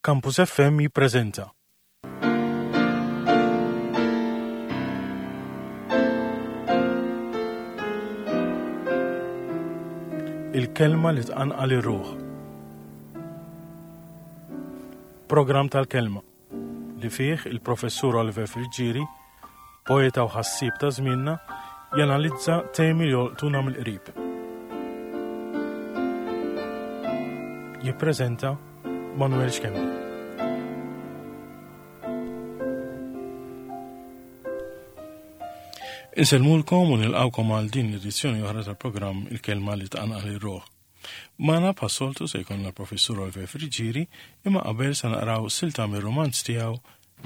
Campus FM jippreżenta. Il-kelma li tqanqal ir-ruħ. Programm tal-kelma li fih il-Professur Oliver Friggieri, poeta u ħassieb ta' żmienna, janalizza temi li jolqtuna mill-qrib. Jippreżenta Manuel Schembri. Insellmulkom u nilqawkom għal din l-edizzjoni oħra tal-programm Il-Kelma li tqanqal ir-ruħ. Magħna bħas-soltu se jkollna l-Professur Oliver Friggieri imma qabel se naqraw silta mir-rumanz tiegħu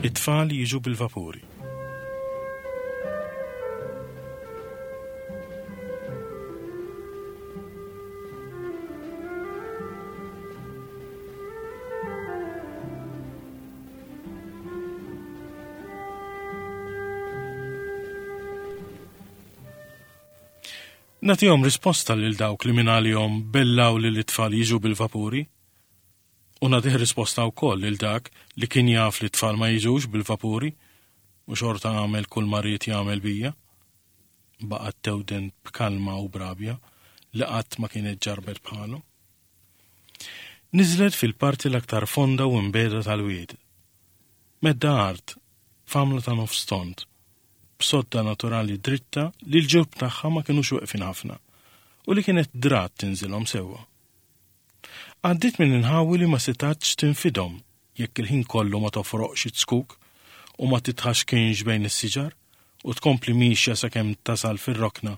It-tfal jiġu bil-vapuri. Nagħtihom risposta lil dawk li mingħalihom bellaw li l-itfal jiġu bil-vapuri. U nagħtih risposta wkoll lil dak li kien jaf li t-tfal ma jiġux bil-vapuri u xorta għamel kull ma ried jagħmel bija. Baqgħet tewden b'kalma u b'rabja li qatt ma kienet ġarrbet bħalu. Niżlet fil-parti l-aktar fonda u imbegħda tal-wied. Medda art, f'għamla ta' nofs tond, b'sodda naturali dritta li l-ġurb tagħha ma kinux weqfin ħafna u li kienet drat tinżilhom sewwa. Għaddiet minn inħawi li ma setgħetx tinfidhom jekk il-ħin kollu ma tofroqx iz-zkuk u ma titħaxkinx bejn is-siġar u tkompli miexja sakemm tasal fir-rokna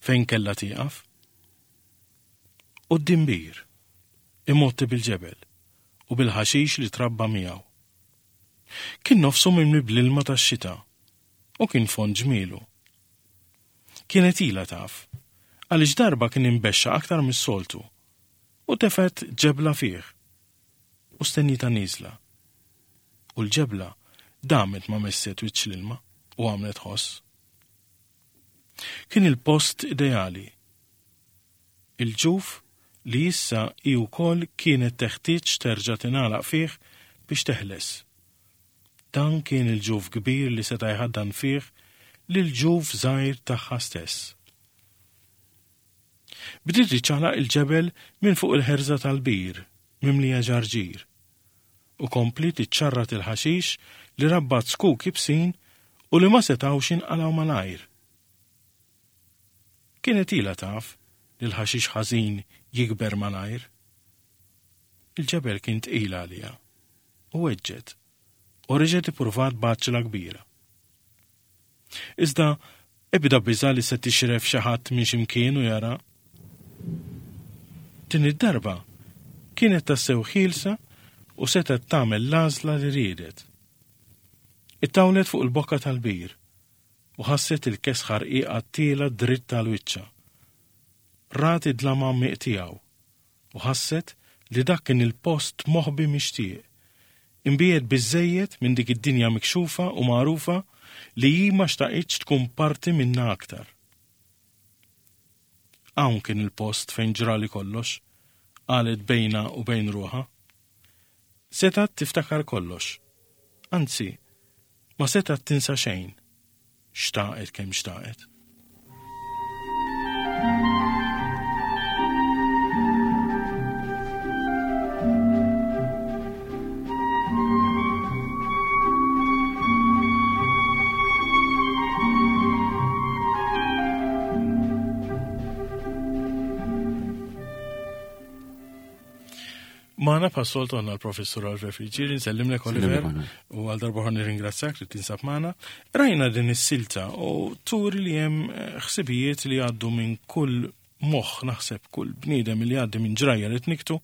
fejn kellha tieqaf. Quddiem bir, imgħotti bil-ġebel u bil-ħaxix li trabba miegħu. Kien nofsu mimli bl-ilma tax-xita u kien fond ġmielu. Kienet ilha taf, għaliex darba kien imbexxa aktar mis-soltu u tefgħet ġebla fih u stennietha nieżla. U l-ġebla damet ma messet wiċċ l-ilma u għamlet ħoss. Kien il-post ideali. Il-ġuf li issa hi wkoll kienet teħtieġ terġa' tingħalaq fih biex teħles. Dan kien il-ġuf kbir li seta' jħaddan fih lill-ġuf żgħir tagħha stess. Bdiet iċċaqlaq il-ġebel minn fuq il-ħerża tal-bir mimlija ġarġir u kompliet iċċarrat il-ħaxix li rabbat zkuk ibsin u li ma setgħux jinqalgħu malajr. Kienet ilha taf li l-ħaxix ħażin jikber malajr. Il-ġebel kien tqil għaliha u weġġgħet u reġgħet ippruvat b'għaġġla kbira. Iżda ebda biża' li se tixref xi ħadd minn xi mkien u jara. Din id-darba kienet tassew ħielsa u setgħet tagħmel l-għażla li riedet. Ittawlet fuq il-bokka tal-bir u ħasset il-kesħa rqiqa tiela' dritt għal wiċċha. Rat id-dlam għammiq tiegħu u ħasset li dak kien il-post moħbi mixtieq, imbiegħed biżżejjed minn dik id-dinja mikxufa u magħrufa li hi ma xtaqitx tkun parti minnha aktar. Hawn kien il-post fejn ġrali kollox, qalet bejnha u bejn ruħha. Setgħet tiftakar kollox. Anzi, ma setgħet tinsa xejn. Xtaqet kemm xtaqet. Magħna bħas-soltu għandna l-Professur Oliver Friggieri, nsellimlek Oliver u għal darba oħra nirringrazzjak li tinsab magħna. Rajna din is-silta u turi li hemm eh, ħsibijiet li għaddu minn kull moħħ naħseb kull bniedem li għaddi minn ġrajja li tniktu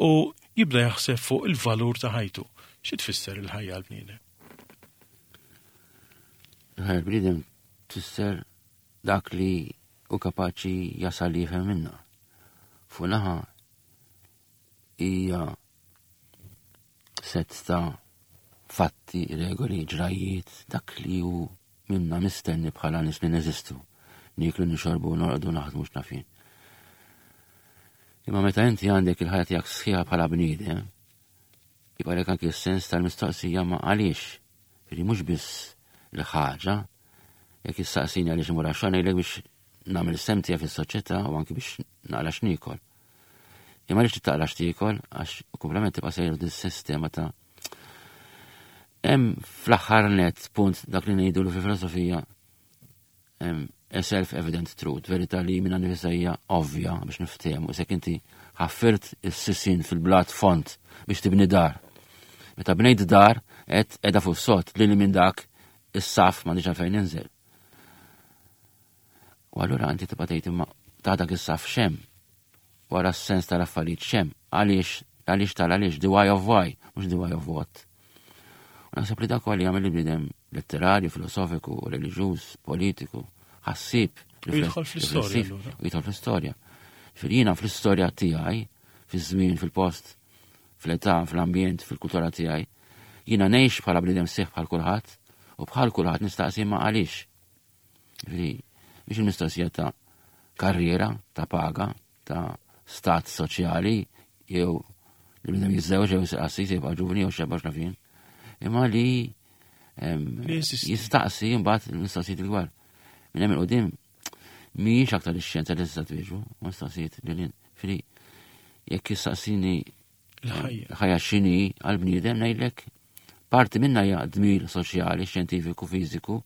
u jibda jaħseb fuq il-valur ta' ħajtu. Xi tfisser il-ħajja għall-bniedem? Il-ħajja l-bniedem tfisser dak li hu kapaċi jasal jifhem minna. Fuq naħa hija sett ta' fatti, regoli, ġrajjiet, dak li hu minna mistenni bħala nies li neżistu. Nieklu, nixorbu, norqdu, naħdmu x'nafin. Imma meta inti għandek il-ħajja tiegħek sħiħa bħala bniedem, Jibqalek anki s-sens tal-mistoqsija ma għaliex. Ġifieri mhux biss l-ħaġa, jekk issaqsini għaliex imur għax-xogħol ngħidlek biex nagħmel is-sehem tiegħi fis-soċjetà u anki biex naqla' x'niekol. Imma għaliex trid taqla' x'tiekol għax komplement tibqa' sejjer din sistema ta' Hemm fl-aħħar net punt dak li ngħidu fil-filosofija a self-evident truth, verità li minna nifisa hija ovvja biex niftehmu, isek inti ħaffirt is-sisin fil-blat font biex tibni dar. Meta bnejt dar, qed qiegħda fuq sod li minn dak is-saf m'għandix għalfejn ninżel. U allura inti tibqa' tgħid imma ta' dak is-saf xem wara s-sens tal-affarijiet xem, għaliex, għaliex tal-għaliex, the why of why, mhux the why of what. U naħseb li dak li jagħmel il-bniedem letterarju, filosofiku, reliġjuż, politiku, ħassieb. Jidħol fl-istorja. Jidħol fl-istorja. Fil-jina fl-istorja tiegħi, fiż-żmien, fil-post, fl-età, fl-ambjent, fil-kultura tiegħi, jiena ngħix bħala bniedem sieħ bħal kulħadd u bħal kulħadd nistaqsi ma għaliex. Ġifieri, biex il-mistoqsija ta' karriera, ta' paga, ta' stat soċjali, jew li bnedem jiżżewġ jew jsir qassis jibqa' ġuvni jew xebba x'naf jien. Imma li jistaqsi mbagħad il-mistoqsijiet il-gwar. Minn hemm il-qudiem mhijiex aktar ix-xjenza li tista' twieġbu, mistoqsijiet li Fili jekk jistaqsini Il-ħajja x'inhi għall-bniedem ngħidlek parti minna hija dmir soċjali, xjentifiku, fiżiku,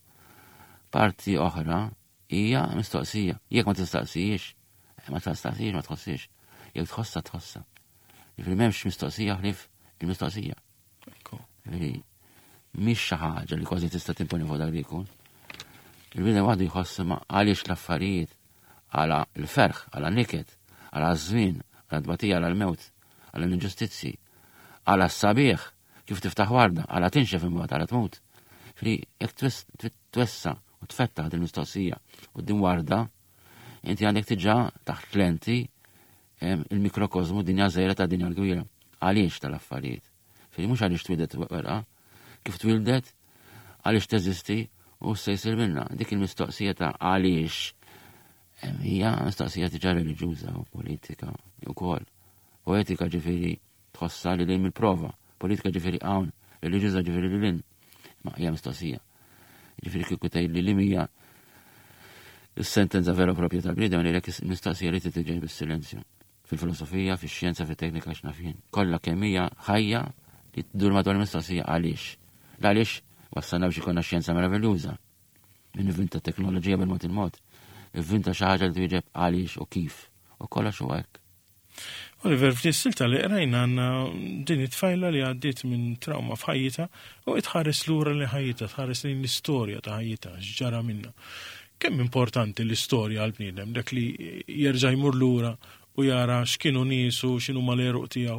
parti oħra hija mistoqsija. Jekk ma tistaqsijiex, eh, ma tistaqsijiex ma tħossiex. Jekk tħossa tħossa. Jiġifieri m'hemmx mistoqsija ħlief il-mistoqsija. Jiġifieri mhix xi ħaġa li kważi tista' timponi fuq dak li jkun. Il-bniedem waħdu jħoss ma għaliex l-affarijiet għala l-ferħ, għala niket, għala żmien, għala tbatija, għala l-mewt, għala l-inġustizzji, għala s-sabiħ, kif tiftaħ warda, għala tinxef imbagħad għala tmut. Fri, jekk twessa u tfettaħ din mistoqsija u din warda, inti għandek tiġa taħt lenti il-mikrokozmu dinja żgħira ta' dinja l-kbira. Għaliex tal-affarijiet? Fri mhux għaliex twildet werqa, kif twildet, għaliex teżisti u se jsir minna. Dik il-mistoqsija ta' għaliex hija mistoqsija diġà reliġjuża u politika wkoll. Poetika ġifieri tħossha li lejn mill-prova, politika ġifieri hawn, reliġjuża ġifieri li lin. Ma hija mistoqsija. Ġifieri kieku tgħid li hija is-sentenza vera propja tal-bniedem li lek mistoqsija li titġej bis-silenzju. Fil-filosofija, fix-xjenza, fit-teknika x'naf jien. Kollha kemm hija ħajja li tdur madwar mistoqsija għaliex. Għaliex wassalna biex ikollna xjenza meraviljuża. Min ivvinta teknoloġija bil-mod il-mod, ivvinta xi ħaġa li twieġeb għaliex u kif. U kollox huwa hekk. Oliver, f'din silta li qrajna għandna din it-tfajla li għaddiet minn trauma f'ħajjitha u tħares lura li ħajjitha, tħares lejn l-istorja ta' ħajjitha, x'ġara minnha. Kemm importanti l-istorja għall-bniedem, dak li jerġa' jmur lura u jara x'kienu niesu, x'inhu mal-għeruq tiegħu.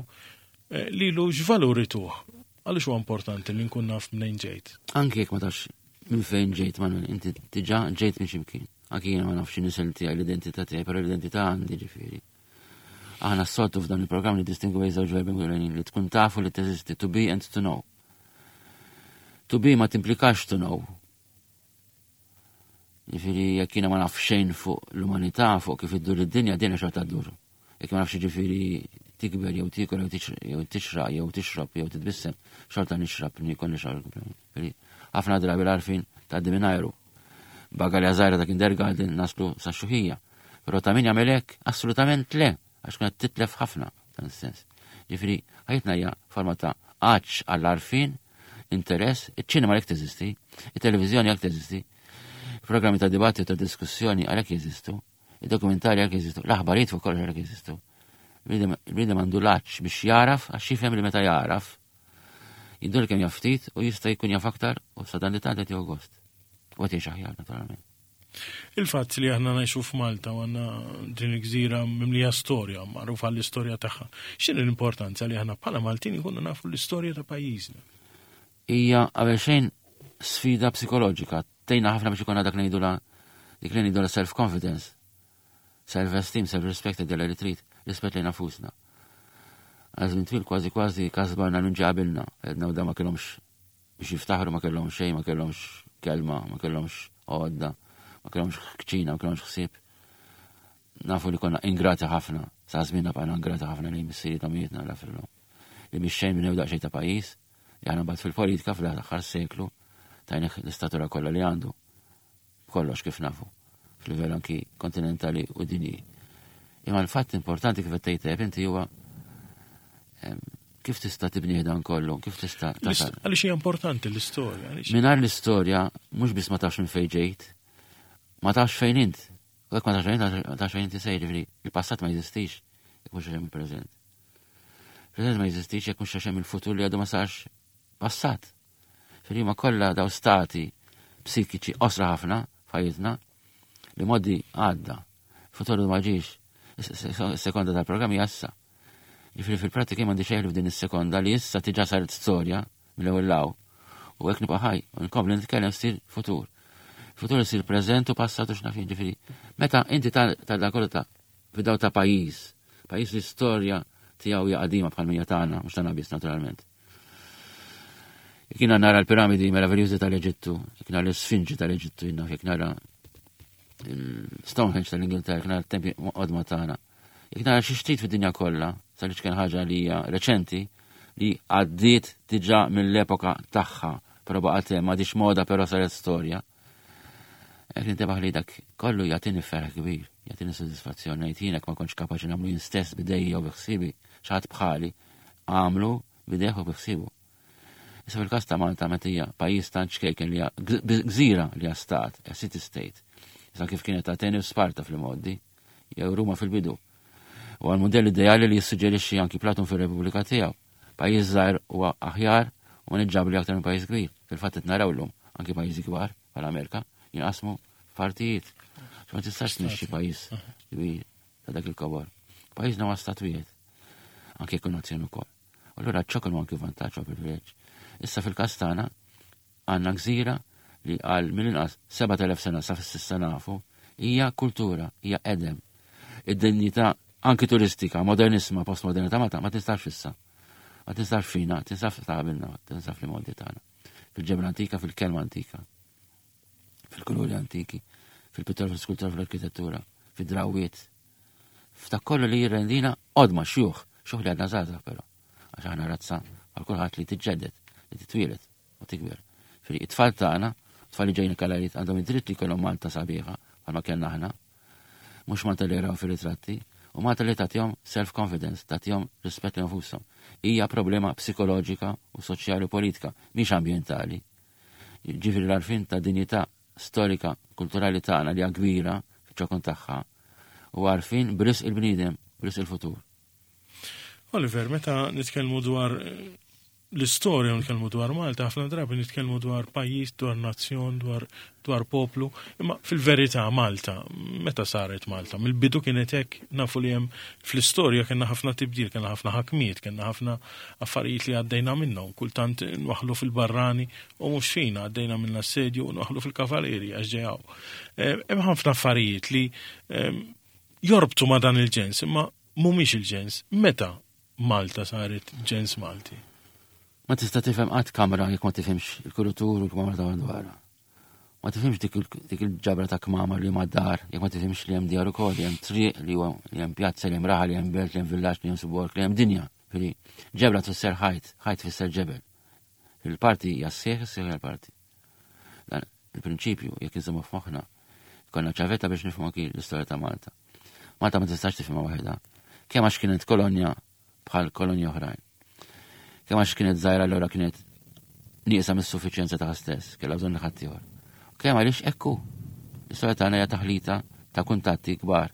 Eh, lilu x'valur ituh? Għaliex huwa importanti li nkun naf mnejn ġejt? Anki jekk ma tafx minn fejn ġejt, Manuel, inti diġà ġejt minn x'imkien. Anki jiena ma nafx nisel tiegħi l-identità tiegħi, però l-identità għandi ġifieri. Aħna s-soltu f'dan il-programm li distingu bejn żewġ verbi ewlenin li tkun tafu li teżisti, to be and to know. To be ma timplikax to know. Ġifieri jekk jiena ma naf xejn fuq l-umanità, fuq kif iddur id-dinja, dinja xorta ddur. Jekk ma nafx ġifieri tikber jew tiekol jew tixraq jew tixrob jew titbissem, xorta nixrab, niekol nixrab. Ħafna drabi l-għarfien tgħaddi minn ajru. Bagalja żgħira ta' kindergarten naslu sa xuħija. Però ta' min jagħmel hekk? Assolutament le, għax tkun qed titlef ħafna dan is-sens. Ġifieri ħajtna hija forma ta' għatx għall-għarfien, interess, iċ-ċinema għalhekk teżisti, it-televiżjoni għalhekk teżisti, programmi ta' dibattitu ta' diskussjoni għalhekk jeżistu, id-dokumentari għalhekk jeżistu, l-aħbarijiet fuq kollox għalhekk jeżistu. Il-bniedem għandu l-għatx biex jaraf, għax jifhem li meta jaraf, jiddur kemm jaf ftit u jista' jkun jaf aktar u sa dan li tant qed jieħu gost. U qed jgħix aħjar naturalment. Il-fatt li aħna ngħixu f'Malta u għandna din il-gżira mimlija storja, magħrufa l-istorja tagħha. X'inhi l-importanza li aħna bħala Maltin ikunu nafu l-istorja ta' pajjiżna? Hija qabel xejn sfida psikoloġika. Tejna ħafna biex ikonna dak ngħidula dik li ngħidula self-confidence, self-esteem, self-respect della li trid, rispett lejn nafusna. Għal żmien twil kważi kważi kasbarna minn ġabilna, edna u da ma kellhomx biex jiftaħru ma kellhom xejn, ma kellhomx kelma, ma kellhomx għodda, ma kellhomx kċina, ma kellhomx ħsieb. Nafu li konna ingrati ħafna, sa żmien bqajna ingrati ħafna lejn missiriet omijietna la fillhom. li mix-xejn bnew daqsxejn ta' pajjiż li aħna mbagħad fil-politika fl-aħħar seklu tajnih l-istatura kollha li għandu. Kollox kif nafu, f'livell anki kontinentali u dinji. Imma l-fatt importanti kif qed tgħid inti huwa kif tista' tibni dan kollu, kif tista' tasal. Għaliex hija importanti l-istorja. Mingħajr l-istorja mhux biss ma tafx minn fejn ġejt, ma tafx fejn int. U jekk ma tafx fejn int, ma tafx fejn inti sejr, jiġifieri il-passat ma jeżistix jekk mhux hemm il-preżent. Il-preżent ma jeżistix jekk mhux hemm il-futur li għadu ma sarx passat. Fil ma kollha daw stati psikiċi qosra ħafna f'ħajjitna li modi għadda. Futur ma ġiex. Sekonda tal-programm hija issa. Ġifieri fil-prattika m'għandi xejn f'din is-sekonda li issa tiġa saret storja mill-ewwel law. U hekk nibqa' ħaj u nkompli nitkellem sir futur. Futur isir preżent u passat u x'naf ġifieri. Meta inti ta' dan kollu ta' fidaw ta' pajjiż, pajjiż li storja tiegħu hija qadima bħal mija tagħna, mhux tagħna biss naturalment. Jekk jiena nara l-piramidi meraviljużi tal-Eġittu, jekk nara l-Sfinġi tal-Eġittu, jiena jekk nara l-Stonehenge tal-Ingilterra, jekk nara t-tempi qodma tagħna. Jekk nara xi xtrid fid-dinja kollha, sal kien ħaġa li hija reċenti, li għaddiet diġà mill-epoka tagħha, però baqgħet hemm m'għadix moda però saret storja. Jekk nintebaħ li dak kollu jagħtini ferħ kbir, jagħtini sodisfazzjon ngħid jien ma kontx kapaċi nagħmlu jien stess bidejja u bi ħsiebi xi bħali għamlu bidejh u bi ħsiebu. Issa fil-każ ta' Malta meta hija pajjiż tant ċkejken li gżira li hija stat, hija city state. Issa kif kienet Ateni u Sparta fl-imgħoddi, jew Ruma fil-bidu. U għal modell ideali li jissuġġerixxi anki Platon fir-Repubblika tiegħu. Pajjiż żgħir huwa aħjar u maniġġabbli aktar minn pajjiż kbir. Fil-fatt qed naraw llum anki pajjiżi kbar bħal-Amerika jinqasmu f'partijiet. Ma tistax tmexxi pajjiż kbir ta' dak il-kobor. Pajjiżna huwa stat wieħed. Anke jkun nazzjon ukoll. U allura ċ-ċokon huwa anki vantaġġ u privileġġ. Issa fil-każ tagħna għandna gżira li għal mill-inqas 7000 sena sa fis-sissa nafu hija kultura, hija edem. Id-dinjità anki turistika, modernisma, postmodernità ma ma tistax issa. Ma tistax fina, tinsaf ta' qabilna, tinsaf li modi tagħna. Fil-ġebla antika, fil-kelma antika. Fil-kuluri antiki, fil-pittura, fil-skultura, fil-arkitettura, fid-drawiet. F'dak kollu li jirrendina qodma xjuħ, xjuħ li għadna żgħażagħ però. Għax aħna razza għal kulħadd li tiġġedded, li titwielet u tikber. Fri it-tfal tagħna, tfal li ġejjin kalariet għandhom id-dritt li jkollhom Malta sabiħa bħalma kellna aħna. Mhux Malta li jaraw fir-ritratti, u Malta li tagħtihom self-confidence, tagħtihom rispett li nfushom. Hija problema psikoloġika u soċjali u politika, mhix ambjentali. Ġifieri l-għarfien ta' dinjità storika kulturali tagħna li hija kbira fiċ-ċokon tagħha u għarfien b'risq il-bniedem, b'risq il-futur. Oliver, meta nitkellmu dwar eh, l-istorja nitkellmu dwar Malta, ħafna drabi nitkellmu dwar pajjiż, dwar nazzjon, dwar, dwar poplu, imma fil-verità Malta, meta saret Malta, mill-bidu kienet hekk nafu li hemm fl-istorja kellna ħafna tibdil, kellna ħafna ħakmiet, kellna ħafna affarijiet li għaddejna minnhom, kultant nwaħlu fil-barrani u mhux fina għaddejna minn l-assedju u nwaħlu fil-kavaleri għax ġejaw. Eh, hemm ħafna affarijiet li eh, jorbtu ma' dan il-ġens, imma mhumiex il-ġens. Meta Malta saret ġens Malti? Ma tista' tifhem qatt kamra jekk ma tifhimx il-kurutur u l-kmamar ta' madwarha. Ma tifhimx dik il-ġabra ta' kmamar li huma dar, jekk ma tifhimx li hemm djar ukoll, li hemm triq, li huwa li hemm pjazza, li hemm raħal, li hemm belt, li hemm villaġġ, li hemm suborg, li hemm dinja. Fili, ġebla tfisser ħajt, ħajt tfisser ġebel. Il-parti hija s-sieħ, is-sieħ hija l-parti. Dan il-prinċipju, jekk inżommu f'moħħna, konna ċavetta biex nifhmu anki l-istorja ta' Malta. Malta ma tistax tifhimha waħedha. Kemm għax kienet kolonja bħal kolonji oħrajn. Kemm għax kienet żgħira allura kienet nieqsa mis-suffiċjenza tagħha stess, kellha bżonn ħaddieħor. Kemm għaliex ekku. L-istorja tagħna hija taħlita ta' kuntatti kbar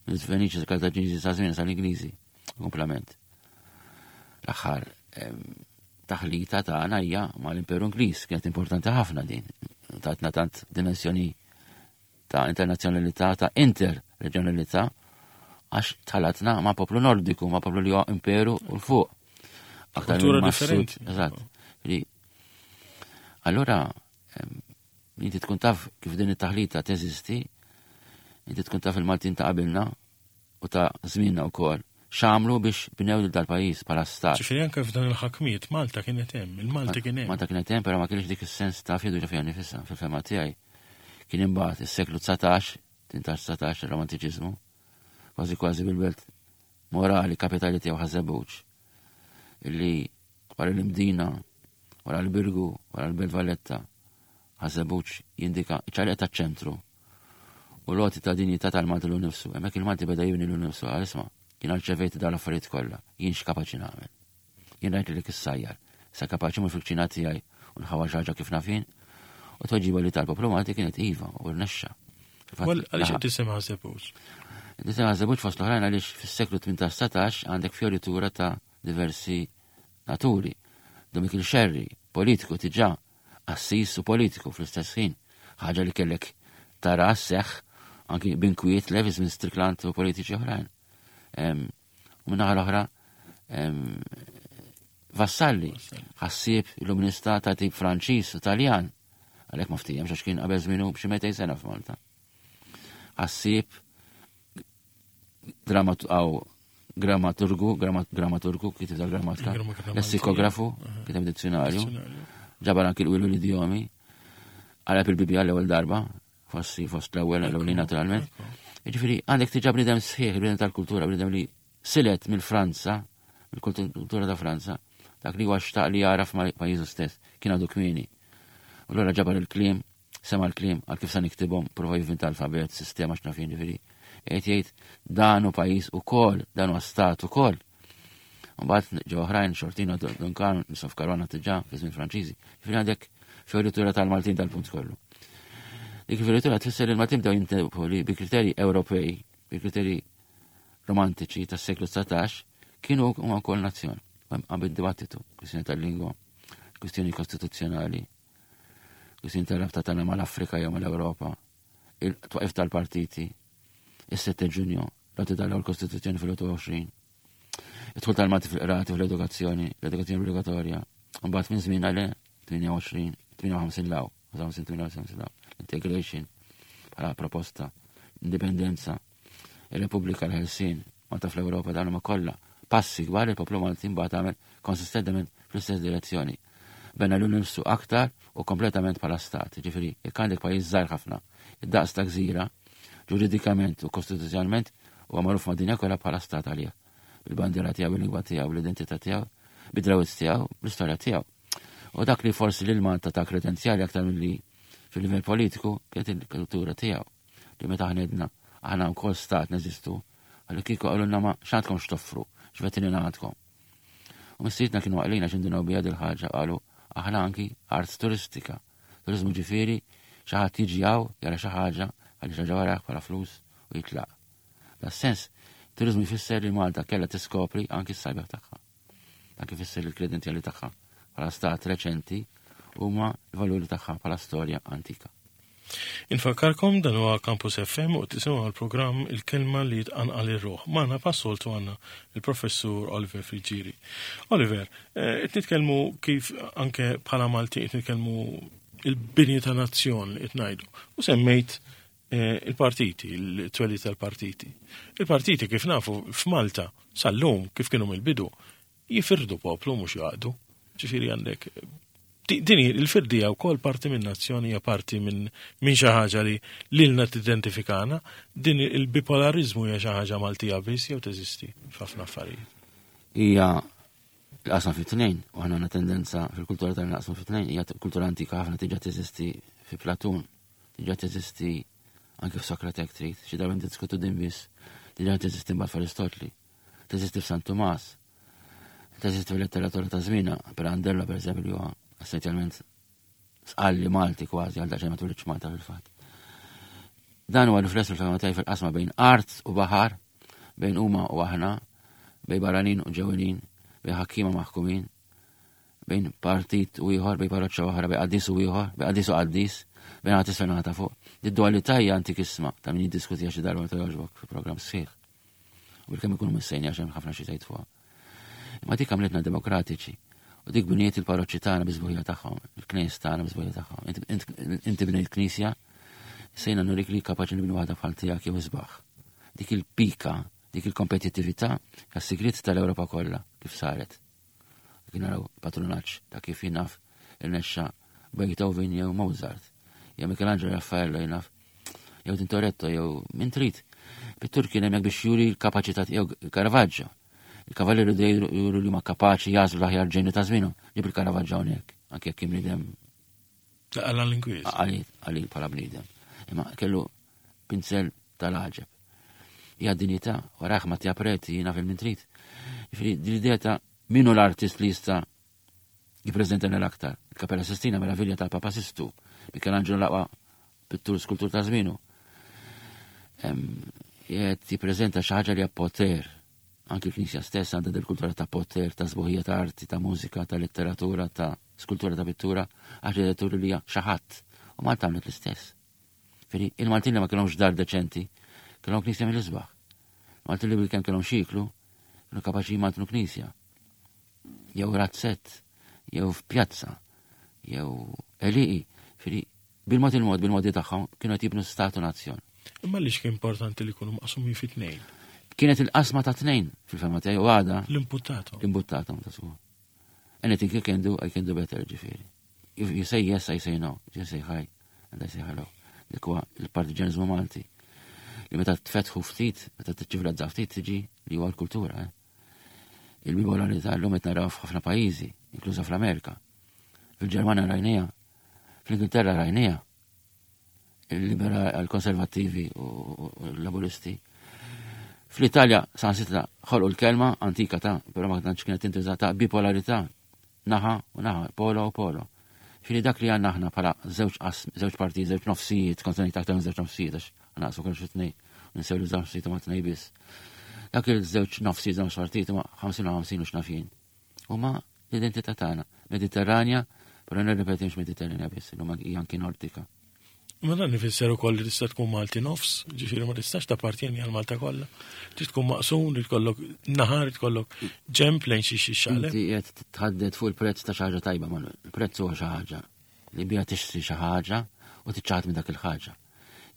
mill-Feniċi, Kartaġiniżi sa' żmien sal-Ingliżi, komplement. L-aħħar taħlita tagħna hija mal-Imperu Ingliż, kienet importanti ħafna din. Tatna tant dimensjoni ta' internazzjonalità, ta' interreġjonalità, għax tħalatna ma' poplu nordiku, ma' poplu li huwa imperu u l-fuq. Aktar Kultura differenti. Eżatt. Allura, inti tkun taf kif din it-taħlita teżisti, inti tkun taf il-Maltin ta' qabilna u ta' żmienna wkoll x'għamlu biex bnew lil dal-pajjiż bħala stat. Ġifieri anke f'dan il-ħakmiet Malta kienet hemm, il-Malti kien hemm. Malta kienet hemm, però ma kienx dik is-sens ta' fiduċja fiha nifisha, fil-fehma tiegħi. Kien imbagħad is-seklu 19, 18 19 ir-romantiċiżmu, kważi kważi bil-belt morali kapitali tiegħu Ħaż-Żebbuġ. Illi wara l-Imdina, wara l-Birgu, wara l-Belt Valletta, Ħaż-Żebbuġ jindika ċ-ċaqliq taċ-ċentru u l-għoti ta' dinjità tal-Malti lilu nnifsu. Hemmhekk il-Malti beda jibni lilu nnifsu qal isma' jiena rċevejt dawn l-affarijiet kollha, jien x'kapaċi nagħmel? Jien rajt lilek issajjar, issa kapaċi mmur fil-kċina tiegħi u nħawwar xi ħaġa kif naf jien? U t-tweġiba li ta l-poplu Malti kienet iva u rnexxa. Għaliex qed tisimha Żebbuġ? Tisimha Żebbuġ fost l-oħrajn għaliex fis-seklu 18 għandek fjoritura ta' diversi naturi. Dom Mikiel Xerri, politiku tiġà, qassis u politiku fl-istess ħin, ħaġa li kellek tara sseħħ anki b'inkwiet le fi żmien Strickland u politiċi oħrajn. U min-naħa l-oħra Vassalli, ħassieb illuminista ta' tip Franċiż u Taljan, għalhekk ma ftihemx għax kien qabel żmienu b'xi 200 sena f'Malta. Ħassieb għaw grammaturgu, grammaturgu, kitib tal-grammatika, lessikografu, kiteb dizzjonarju, ġabar anki l-wilu l-idjomi, għalab il-Bibja l-ewwel darba, fossi fost l-ewwel l-ewwel naturalment. Ġifieri għandek tiġa bniedem sħiħ, bniedem tal-kultura, bniedem li silet mill-Franza, mill-kultura ta' Franza, dak li huwa xtaq li jara f'pajjiżu stess, kien għadu kmieni. U allura ġabar il-kliem, sema l-kliem għal kif sa niktibhom, prova jivvinta alfabet, sistema x'naf jien ġifieri. Qed jgħid dan hu pajjiż ukoll, dan huwa stat ukoll. Mbagħad ġew oħrajn xortina Duncan, Nisof Karwana diġà fi żmien Franċiżi. Ġifieri għandek fioritura tal-Maltin dal-punt kollu. Dik fioritura tfisser li l-Maltin bdew jintebħu li bi kriterji Ewropej, bi kriterji romantiċi tas-seklu 19 kienu huma wkoll nazzjon. Hemm dibattitu, kwistjoni tal-lingwa, kwistjoni kostituzzjonali, kwistjoni tal-rabta tagħna mal-Afrika jew mal-Ewropa, il-twaqif tal-partiti, is-7 Ġunju, l-għoti tal-ewwel Kostituzzjoni fil-21, id-dħul tal-Malti fil-qrati fl-edukazzjoni, l-edukazzjoni obbligatorja, mbagħad minn żmien għal 28, 58 law, 58 law, integration bħala proposta, indipendenza, ir-Repubblika l-Ħelsien, Malta fl-Ewropa dan huma kollha passi kbar il-poplu Malti mbagħad għamel konsistentement fl-istess direzzjoni. Bena l nifsu aktar u kompletament bħala stat. Ġifieri, jekk għandek pajjiż żgħir ħafna, id-daqs ta' gżira, ġuridikament u kostituzzjonalment huwa magħruf mad-dinja kollha bħala stat għalih. Bil-bandiera tiegħu, bil-lingwa tiegħu, bl-identità tiegħu, bid-drawwiet tiegħu, bl-istorja tiegħu. U dak li forsi lil Malta ta' kredenzjali aktar milli fil-livell politiku kienet il-kultura tiegħu. Li meta aħna għedna aħna wkoll stat neżistu, għalli kieku qalulna ma x'għandkom x'toffru, x'vetrina għandkom. U missirietna kienu għaqlin għax indunaw biha dil-ħaġa qalu aħna anki art turistika. Turizmu ġifieri xi ħadd jiġi hawn jara xi ħaġa, ħalli xi ħaġa warah bħala flus u jitlaq. Da sens, turizmu jfisser li Malta kellha tiskopri anki s-sabiħ tagħha. Dak ifisser li l-kredenzjali tagħha bħala stat reċenti huma l-valuri tagħha bħala storja antika. Infakkarkom dan huwa Campus FM u tisimgħu l-programm Il-Kelma li tqanqal ir-ruħ. Magħna passoltu għandna il-Professur Oliver Friggieri. Oliver, eh, qed nitkellmu kif anke bħala Malti qed nitkellmu il-bini ta' nazzjon li qed ngħidu. U semmejt eh, il-partiti, il-twelid tal-partiti. Il-partiti kif nafu f'Malta sal-lum kif kienu mill-bidu jifirdu poplu mhux jaqdu. Ġifieri għandek din il-firdija wkoll parti minn nazzjoni hija parti minn min xi ħaġa li lilna tidentifikana, din il-bipolarizmu hija xi ħaġa Maltija biss jew teżisti f'ħafna affarijiet. Hija l-qasam fi tnejn, u aħna għandna tendenza fil-kultura tagħna naqsmu fi tnejn, hija kultura antika ħafna tiġa teżisti fi Platun, diġà teżisti anke f'Sokrate jekk trid, xi darba niddiskutu din biss, diġà teżisti mbagħad f'Aristotli, teżisti f'San Tumas, teżisti fil-letteratura ta' żmienha, Pirandello pereżempju li huwa essenzjalment sqalli Malti kważi għal daqsxejn ma twilidx Malta fil-fatt. Dan huwa rifless fil-fehma tiegħi fil-qasma bejn art u baħar, bejn huma u aħna, bejn barranin u ġewwinin, bejn ħakkiema maħkumin, bejn partit u ieħor, bejn parroċċa oħra, bejn qaddis u ieħor, bejn qaddis u qaddis, bejn naħa t'isfel naħa ta' fuq. Id-dualità hija antikissima ta' min jiddiskutiha xi darba meta jogħġbok fi programm sħiħ. U bilkemm ikunu missejni għax hemm ħafna xi tgħid fuqha. Imma dik għamlitna demokratiċi. U dik bniet il-parroċċi tagħna biżbuħija tagħhom, il-knejjes tagħna biżbuħija tagħhom. Inti bnejt knisja, sejna nurik li kapaċi nibnu waħda bħal tiegħek jew isbaħ. Dik il-pika, dik il-kompetittività, tas-sigriet tal-Ewropa kollha kif saret. Kien naraw patrunaġġ ta' kif jinaf irnexxa Beethoven jew Mozart, jew Michelangelo Raffaello jinaf, jew Tintoretto jew min trid. Pittur kien hemmhekk biex juri l-kapaċità jew Caravaggio. Il-kavallieri dejjem juru li ma kapaċi jagħżlu l-aħjar ġenju ta' żmienhom. Ġib il-Caravaggio hawnhekk, anke jekk kien bniedem. Għala l-inkwiż. Għalil bħala bniedem. Imma kellu pinzel tal-għaġeb. Hija dinjità, waraħ ma preti jiena fil trid. Jiġifieri din l-idea ta' min hu l-artist li jista' jippreżentana l-aktar. Il-Kapella Sistina meravilja tal-Papa Sistu, Michelangelo l-aqwa pittur skultur ta' żmienu. Qed jippreżenta xi ħaġa li hija poter. Anki l-Knisja stess għandha del kultura ta' poter, ta' sbuħija ta' arti, ta' mużika, ta' letteratura, ta' skultura, ta' pittura, arkitettura li hija xi ħadd. U Malta għamlet l-istess. Firi, il-Maltin li ma kellhomx dar deċenti, kellhom knisja mill-isbaħ. Maltin li bil-kemm kellhom xiklu, kienu kapaċi jmantnu knisja. Jew razzett, jew f'pjazza, jew eliqi. Firi, bil-mod il-mod, bil-modi tagħhom, kienu qed jibnu statu nazzjon. Imma li kien importanti li jkunu maqsumin fi tnejn? Kienet il-qasma ta' tnejn fil-fema tiegħi u għada. L-imputtatom. L-imputtatom ta' suħu. Anything you can do, I can do better, ġifieri. If you say yes, I say no. If you say hi, and I say hello. Dik huwa il-partiġanizmu Malti. Li meta tfetħu ftit, meta tiċċivilizza ftit tiġi li huwa l-kultura. Eh? Il-bipolarità llum qed naraw f'ħafna pajjiżi, inkluża fl-Amerika. Fil-Ġermanja rajnija, fl-Ingilterra rajnija, il-liberal konservattivi u l-laburisti. Fl-Italja sansitra ħolqu l-kelma antika ta' però ma tantx kienet tintuża ta' bipolarità naħa u naħa, polo u polo. Fili dak li għandna aħna bħala żewġ żewġ partijiet, żewġ nofsijiet, kont ngħid aktar minn żewġ nofsijiet għax naqsu kollox tnej, ninsew li żewġ nofsijiet huma tnej biss. Dak il-żewġ nofsijiet, żewġ partijiet huma 50 u 50 u x'nafin. Huma l-identità tagħna. Mediterranja, però nirrepeti mhux Mediterranja biss, huma hija anki Nordika. Ma dan ifisser ukoll li tista' tkun Malti nofs, ġifieri ma tistax tappartjeni għal Malta kollha. Trid tkun maqsum, li tkollok naħar, li tkollok ġemp lejn xi xi xale. Inti qed tħadded fuq il-prezz ta' xi ħaġa tajba, Manuel. Il-prezz huwa xi ħaġa li biha tixtri xi ħaġa u tiċċaħad minn dak il-ħaġa.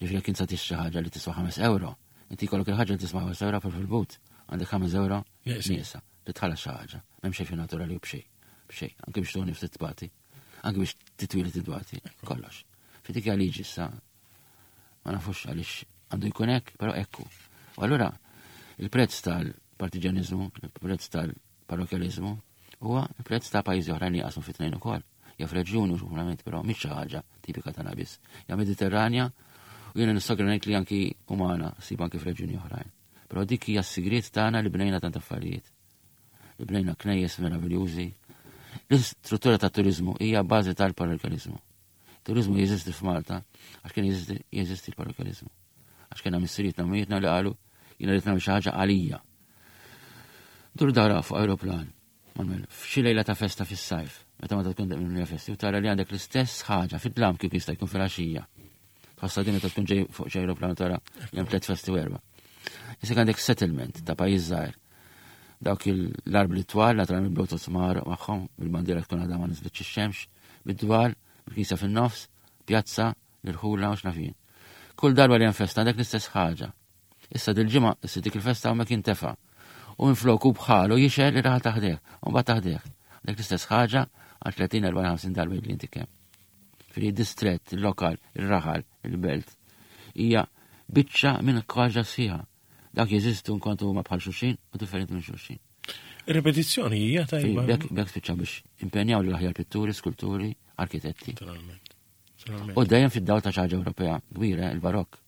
Ġifieri jekk insa tixtri ħaġa li tiswa 5 euro, inti jkollok il-ħaġa li tiswa 5 euro fil-but, għandek 5 euro nieqsa li tħallas xi ħaġa. M'hemm xejn fi naturali u b'xejn. B'xejn, anke biex tuni ftit tbati anke biex titwili titwati, kollox. Fitik liġi issa, ma nafux għaliex għandu jkun hekk, però ekku. U allura il-prezz tal-partiġanizmu, il-prezz tal-parrokjalizmu, huwa il-prezz ta' pajjiżi oħrajn li jaqsmu fit-tnejn ukoll. Ja f'reġjuni u xuħlament, però mhix xi ħaġa tipika tagħna biss. Ja Mediterranja u jiena nistogra ngħid li anki umana ssib anki f'reġjuni oħrajn. Però dik hija s-sigriet tagħna li bnejna tant affarijiet. Li bnejna knejjes meraviljużi. L-istruttura ta' turizmu hija bażi tal-parrokjalizmu. Turizmu jeżisti f'Malta għax kien jeżisti l-parrokjalizmu. Għax kien missirietna u mietna li qalu jiena rrid nagħmel xi ħaġa għalija. Dur dara fuq aeroplan, Manuel, f'xi lejla ta' festa fis-sajf, meta ma tkun minn festi, u tara li għandek l-istess ħaġa fid-dlam kif jista' jkun fil-għaxija. Tħossha din meta tkun ġej fuq xi aeroplan tara li hemm tliet festi u erba'. Issa għandek settlement ta' pajjiż żgħir. Dawk l-arbli twal, naturalment bl-bluetooth magħhom, bil-bandiera tkun għadha ma niżlitx ix-xemx, bid-dwal, bil-knisja fin-nofs, pjazza, l-irħula u x'naf jien. Kull darba li hemm festa għandek l-istess ħaġa. Issa dil-ġimgħa issir dik il-festa hawnhekk jintefa'. U minflok hu bħalu jixgħel ir-raħal ta' ħdejh, u mbagħad ta' ħdejh. Għandek l-istess ħaġa għal 30, 40, 50 darba li inti kemm. Fili distret, il-lokal, il-raħal, il-belt, hija biċċa minn ħaġa sħiħa. Dak jeżistu nkontu huma bħal xulxin u differenti minn xulxin. Repetizzjoni hija tajba. Bekk bekk spiċċa biex impenjaw l-aħjar pitturi, skulturi, arkitetti. U dejjem fid-dawl ta' xi ħaġa Ewropea kbira, il-Barokk.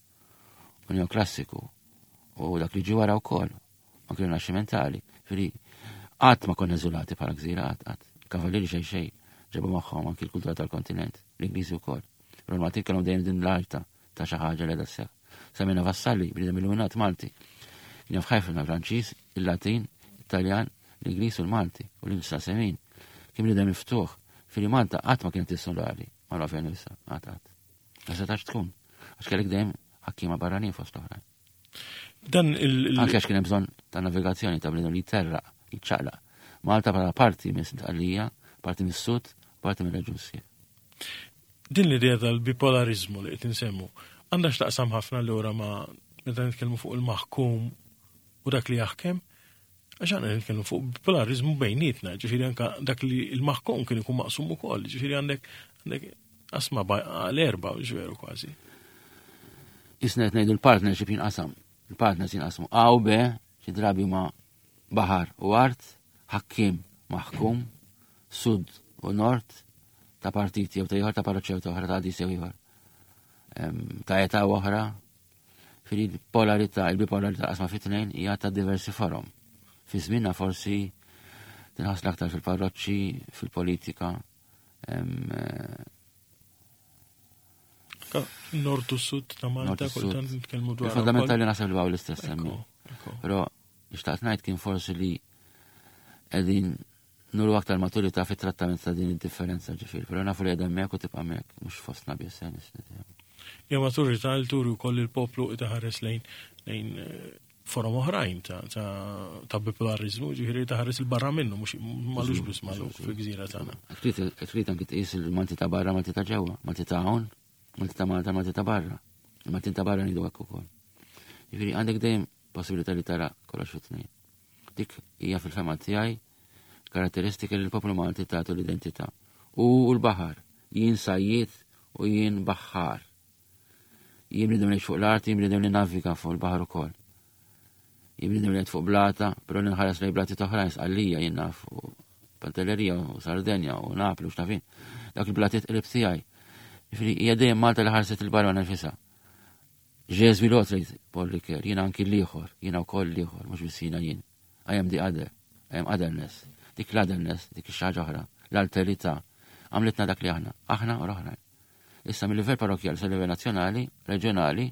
U neoklassiku u dak li ġie wara wkoll, anke rinaxximentali. Fili qatt ma konna iżolati bħala gżira qatt qatt. Kavallieri xejn xejn ġabu magħhom anki l-kultura tal-kontinent, l-Ingliżi wkoll. Però l-Maltin kellhom dejjem din l-arta ta' xi ħaġa li qiegħda sseħħ. Semmejna Vassalli, bniedem illuminat Malti. Kien jaf ħafna Franċiż, il-Latin, it-Taljan, l-Ingliż u l-Malti u l-Insa semin. Kien bniedem miftuħ. Fili Malta qatt ma kienet insulari, ma naf nisa, qatt qatt. Ma setax tkun, għax kellek dejjem ħakkiema barranin fost l-oħrajn. Dan il- Anke għax kien hemm bżonn ta' navigazzjoni ta' bniedem li jterraq, jiċċaqlaq. Malta bħala parti minn Sqallija, parti mis-sud, parti mir-reġjun sħiħ. Din l-idea tal-bipolarizmu li qed insemmu għandha x'taqsam ħafna allura ma' meta nitkellmu fuq il-maħkum u dak li jaħkem, għax aħna nitkellmu fuq bipolarizmu bejnietna, ġifieri anka dak li l-maħkum kien ikun maqsum ukoll, ġifieri għandek għandek qasma għal erba' veru kważi. Isna qed ngħidu l-partnership jinqasam. Il-partners jinqasmu A u B, xi drabi huma Baħar u art, ħakkiem maħkum, sud u nord, ta' partiti jew ta' ieħor, ta' parroċċa jew ta' oħra, ta' qadis jew ieħor. Ta' età oħra, fil-polarità, il-bipolarità qasma fit-tnejn hija ta' diversi forom. Fi żmienna forsi tinħass l-aktar fil-parroċċi, fil-politika. Nord u sud ta' Malta, kultant nitkellmu dwar. Il-fundamentali naħseb li baqgħu l-istess semmi. Però xtaqt ngħid kien forsi li qegħdin nuru aktar maturità fit-trattament ta' din id-differenza ġifieri, però nafu li qiegħda hemmhekk u tibqa' hemmhekk, mhux fostna biss eh, Ja maturità li turi wkoll il-poplu itaħares lejn lejn eh, forom oħrajn ta', ta, ta bipolarizmu, ġifieri taħares il-barra minnu, mhux malux biss malu fil-gżira tagħna. Trid anki tqis il-Malti ta' barra, Malti ta' ġewwa, Malti ta' hawn, Malti ta' Malta, Malti ta' barra. Il-Maltin ta' barra ngħidu hekk ukoll. Ġifieri għandek dejjem possibilità li tara kollox fit-tnejn. Dik hija fil-fema tiegħi karatteristika li l-poplu Malti tagħtu l-identità. U l-baħar, jien sajjiet u jien baħħar. Jien bniedem li fuq l-art, jien bniedem li naviga fuq il-baħar ukoll. Jien bniedem li fuq blata, però li nħares lejn blati oħrajn sqallija jien naf u Pantellerija u Sardenja u Napli u x'nafin. Dak il-blatiet qrib tiegħi. Ġifieri hija dejjem Malta li ħarset il-barra nifisha. Ġeżwi l-otra Paul Ricoeur, jiena anki l-ieħor, jiena wkoll l-ieħor, mhux biss jiena jien. I am the other, I am otherness. Dik l-otherness, dik ix-xi oħra, l-alterità, għamlitna dak li aħna, aħna u l-oħrajn. Issa mill-livell parrokjali sa livell nazzjonali, reġjonali,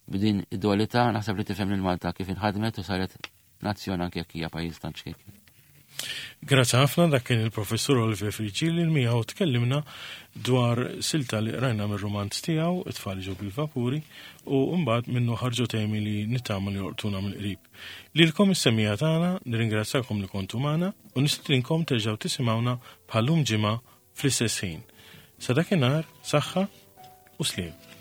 b'din id-dualità naħseb li tifhem lil Malta kif inħadmet u saret nazzjon anke jekk hija pajjiż tant ċkejken. Grazzi ħafna dak kien il-professur Oliver Frigili li miegħu tkellimna dwar silta li qrajna mir-rumanz tiegħu It-tfal ġew bil-vapuri u mbagħad minnu ħarġu temi li nittama li jolqtuna mill-qrib. Lilkom is-semmiegħa tagħna nirringrazzjakom li kontu magħna u nistedinkom terġgħu tisimgħuna bħal-lum ġimgħa fl-istess ħin. Sa dakinhar, saħħa u sliem.